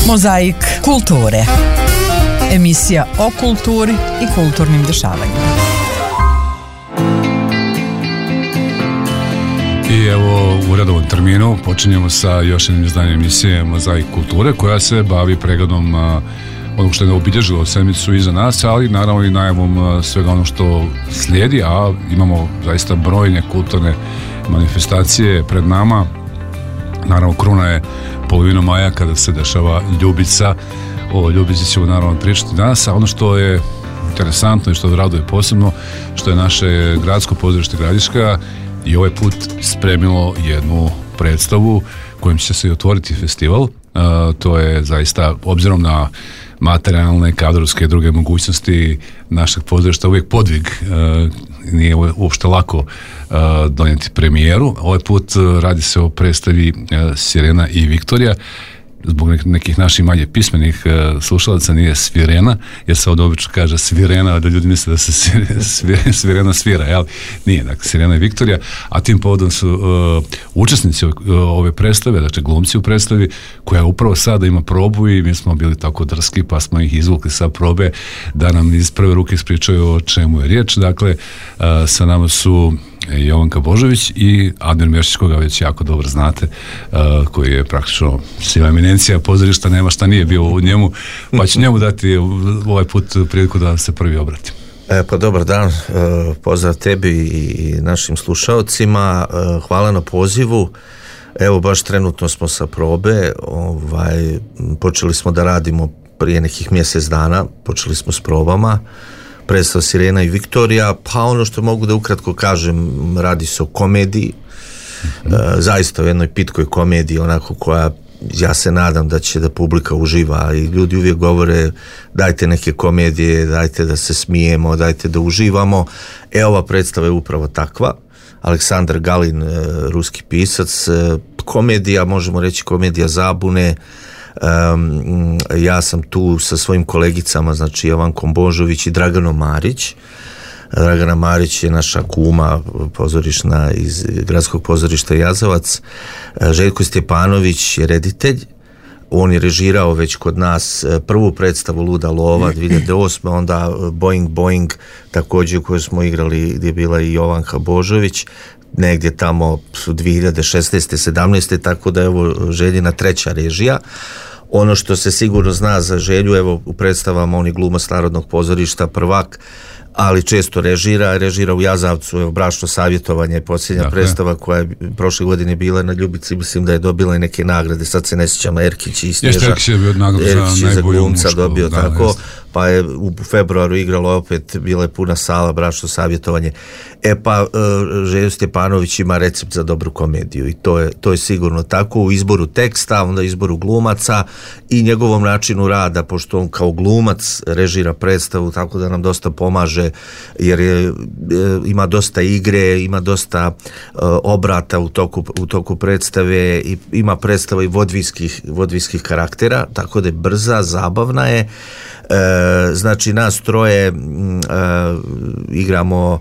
Mozaik kulture. Emisija o kulturi i kulturnim dešavanjima. I evo u redovnom terminu počinjemo sa još jednim izdanjem emisije Mozaik kulture, koja se bavi pregledom onog što je obilježilo sedmicu iza nas, ali naravno i najavom svega ono što slijedi, a imamo zaista brojne kulturne manifestacije pred nama. Naravno, kruna je polovinom maja kada se dešava Ljubica. O Ljubici ćemo naravno pričati danas, a ono što je interesantno i što raduje posebno, što je naše gradsko pozorište Gradiška i ovaj put spremilo jednu predstavu kojim će se i otvoriti festival. To je zaista, obzirom na materijalne, kadrovske i druge mogućnosti našeg pozorišta, uvijek podvig. Nije uopšte lako donijeti premijeru. Ovaj put radi se o predstavi Sirena i Viktorija. Zbog nekih naših manje pismenih slušalaca nije Svirena, jer se ovdje obično kaže Svirena, da ljudi misle da se Svirena svira, jel? Nije, dakle, Sirena i Viktorija, a tim povodom su učesnici ove predstave, dakle glumci u predstavi, koja upravo sada ima probu i mi smo bili tako drski, pa smo ih izvukli sa probe da nam iz prve ruke ispričaju o čemu je riječ. Dakle, sa nama su Jovanka Božović i Admir Mešić, koga već jako dobro znate, koji je praktično siva eminencija pozorišta, nema šta nije bio u njemu, pa ću njemu dati ovaj put priliku da se prvi obratim. Pa dobar dan, pozdrav tebi i našim slušaocima, hvala na pozivu. Evo, baš trenutno smo sa probe, počeli smo da radimo prije nekih mjesec dana, počeli smo s probama. Predstava Sirena i Viktorija, pa ono što mogu da ukratko kažem, radi se o komediji, zaista o jednoj pitkoj komediji, onako koja, ja se nadam da će da publika uživa, i ljudi uvijek govore dajte neke komedije, dajte da se smijemo, dajte da uživamo. Ova predstava je upravo takva. Aleksandar Galin, ruski pisac, komedija, možemo reći komedija zabune. Ja sam tu sa svojim kolegicama, znači Jovankom Božović i Draganom Marić. Dragana Marić je naša kuma pozorišna iz gradskog pozorišta Jazavac. Željko Stjepanović je reditelj. On je režirao već kod nas prvu predstavu Luda lova 2008. Onda Boing Boing, također koju smo igrali, gdje je bila i Jovanka Božović, negdje tamo 2016. 17. tako da je ovo Željina treća režija. Ono što se sigurno zna za Želju, evo u predstavama on je glumac Narodnog pozorišta, prvak, ali često režira u Jazavcu, evo Bračno savjetovanje, posljednja predstava koja je prošle godine bila na Ljubici, mislim da je dobila i neke nagrade, sad se ne sjećam, Erkić i Snježa. Erkić je bio nagradu za glumca mušku, dobio, tako, pa je u februaru igralo opet, bila je puna sala, Bračno savjetovanje. Pa Željo Stjepanović ima recept za dobru komediju i to je sigurno tako u izboru teksta, onda izboru glumaca i njegovom načinu rada, pošto on kao glumac režira predstavu, tako da nam dosta pomaže, jer ima dosta igre, ima dosta obrata u toku predstave i ima predstava i vodvijskih karaktera, tako da je brza, zabavna je. Znači nas troje igramo,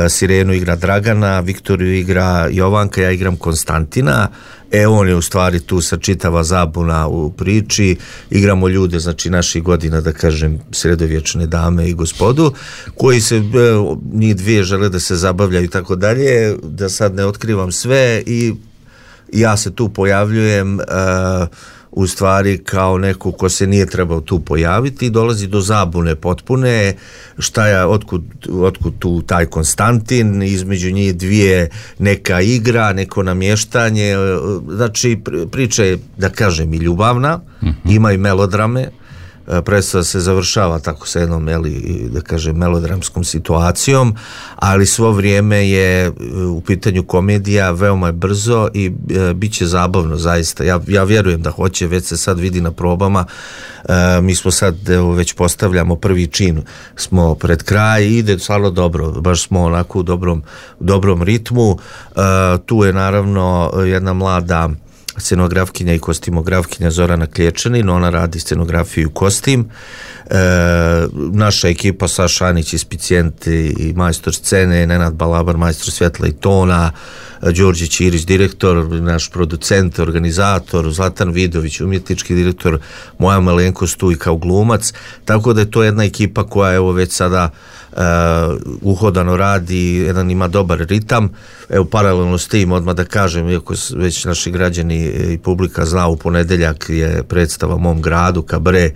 Sirenu igra Dragana, Viktoriju igra Jovanka, ja igram Konstantina. On je u stvari tu sa čitava zabuna u priči, igramo ljude, znači naših godina, da kažem, sredovječne dame i gospodu, koji se, njih dvije žele da se zabavljaju i tako dalje, da sad ne otkrivam sve, i ja se tu pojavljujem u stvari kao neko ko se nije trebao tu pojaviti, dolazi do zabune potpune, otkud tu taj Konstantin, između njih dvije neka igra, neko namještanje, znači priča je, da kažem, i ljubavna, ima i melodrame, predstava se završava tako sa jednom, da kažem, melodramskom situacijom, ali svo vrijeme je u pitanju komedija, veoma je brzo i bit će zabavno, zaista. Ja vjerujem da hoće, već se sad vidi na probama. Mi smo sad, već postavljamo prvi čin, smo pred kraj i ide stvarno dobro, baš smo onako u dobrom ritmu. Tu je naravno jedna mlada scenografkinja i kostimografkinja Zorana Klječanin, ona radi scenografiju i kostim. Naša ekipa Saša Anić iz Picijenti i majstor scene, Nenad Balabar majstor svjetla i tona, Đorđe Ćirić direktor, naš producent, organizator, Zlatan Vidović umjetnički direktor, moja malenkost tu i kao glumac, tako da je to jedna ekipa koja evo već sada uhodano radi, jedan ima dobar ritam. Evo paralelno s tim odmah da kažem, iako već naši građani i publika zna, u ponedeljak je predstava Mom gradu, Kabre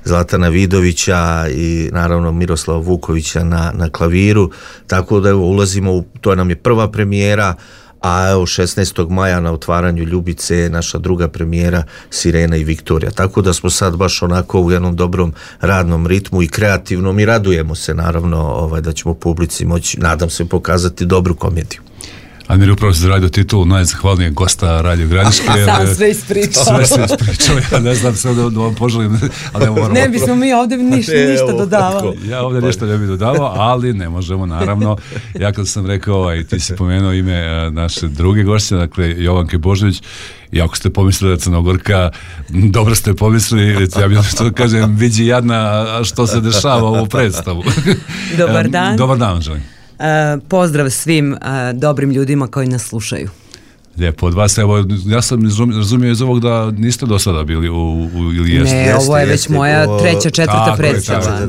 Zlatana Vidovića i naravno Miroslava Vukovića na klaviru, tako da evo ulazimo to nam je prva premijera, a evo 16. maja na otvaranju Ljubice je naša druga premijera Sirena i Viktorija. Tako da smo sad baš onako u jednom dobrom radnom ritmu i kreativnom i radujemo se naravno da ćemo publici moći, nadam se, pokazati dobru komediju. Admir, upravo se zaradio titul najzahvalnijeg gosta Radio Gradiške. Sam sve ispričao. Ja ne znam sve da vam poželim. Ali ne bismo mi ovdje ništa dodavali. Ja ovdje ništa ne bih dodavao, ali ne možemo, naravno. Ja kad sam rekao, i ti si pomenuo ime naše druge gošće, dakle Jovanke Božović, i ako ste pomislili da Crnogorka, dobro ste pomislili, ja bih što kažem, vidi jadna što se dešava u ovu predstavu. Dobar dan. Dobar dan, želim. Pozdrav svim dobrim ljudima koji nas slušaju. Lijepo od vas, evo, ja sam razumio iz ovog da niste do sada bili ili jeste? Ne, ovo je već moja treća, četvrta predstava.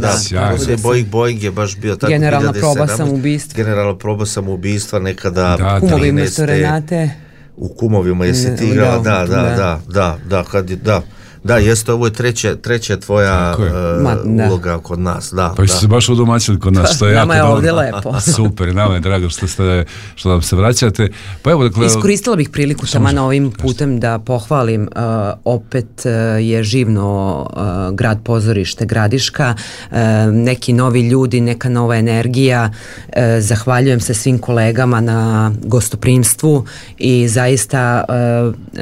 Boeing je baš bio tako. Generalna proba samoubistva. Generalna proba samoubistva nekada. Kumovi umjesto Renate. U Kumovima jesi ti igrala, da, jeste, ovo je treća tvoja uloga kod nas. Pa ste se baš udomaćili kod nas, što je jako dobro. Nama je ovdje lepo. Super, nama je drago što nam se vraćate. Pa evo, dakle, iskoristila bih priliku taman ovim putem da pohvalim, opet je živno grad pozorište Gradiška, neki novi ljudi, neka nova energija, zahvaljujem se svim kolegama na gostoprimstvu i zaista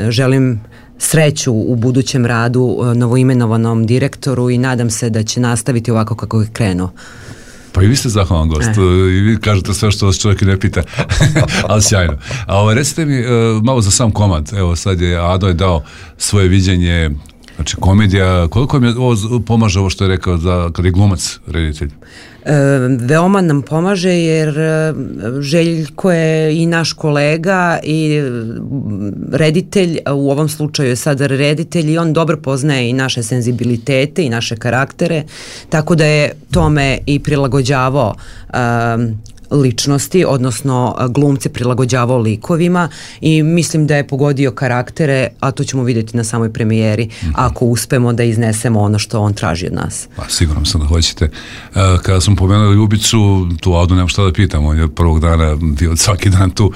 želim sreću u budućem radu novoimenovanom direktoru i nadam se da će nastaviti ovako kako je krenuo. Pa i vi ste zahvalan gost i vi kažete sve što vas čovjek ne pita, ali sjajno. A recite mi malo za sam komad, evo sad je Ado je dao svoje viđenje, znači komedija, koliko mi ovo pomaže ovo što je rekao kad je glumac reditelj? Veoma nam pomaže jer Željko je i naš kolega i reditelj, u ovom slučaju je sad reditelj i on dobro poznaje i naše senzibilitete i naše karaktere, tako da je tome i prilagođavao ličnosti, odnosno glumce prilagođavao likovima i mislim da je pogodio karaktere, a to ćemo vidjeti na samoj premijeri, ako uspemo da iznesemo ono što on traži od nas. Pa, sigurno sam da hoćete. Kada sam pomenuli Ljubicu, tu Adu nemam šta da pitam, on je prvog dana bio svaki dan tu,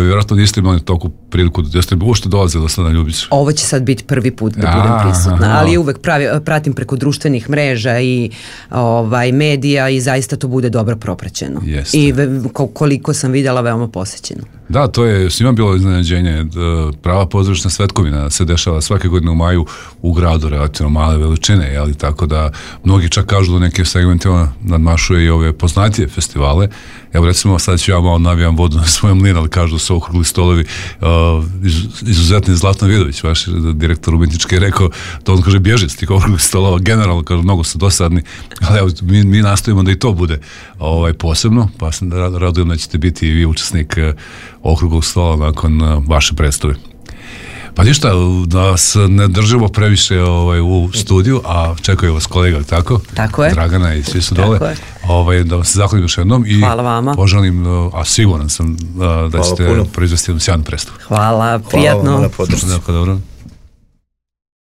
vjerojatno niste imali toliko priliku da ste uopšte dolazili do sada na Ljubicu. Ovo će sad biti prvi put da budem prisutna, ali uvek pratim preko društvenih mreža i medija i zaista to bude dobro propraćeno. I koliko sam vidjela, veoma posjećeno. Da, to je svima bilo iznenađenje. Prava pozorišna svetkovina se dešava svake godine u maju u gradu relativno male veličine, ali tako da mnogi čak kažu da neke segmente nadmašuje i ove poznatije festivale. Evo recimo sad ću ja malo navijam vodu na svoj mlin, ali kažu da su okrugli stolovi izuzetni. Zlatan Vidović, vaš direktor umjetnički, je rekao da on kaže bježi s tih okruglih stolova, generalno kaže mnogo su dosadni, ali evo mi nastojimo da i to bude posebno, pa sam radujem da ćete biti i vi učesnik okruglog stola nakon vaše predstave. Pa ništa, da se ne držimo previše u studiju, a čekaju vas kolega, tako? Tako je. Dragana i svi su dole. Da vam se zahvalim još jednom i poželim, a siguran sam da ćete proizvesti jednu sjajnu predstavu. Hvala, prijatno. Hvala,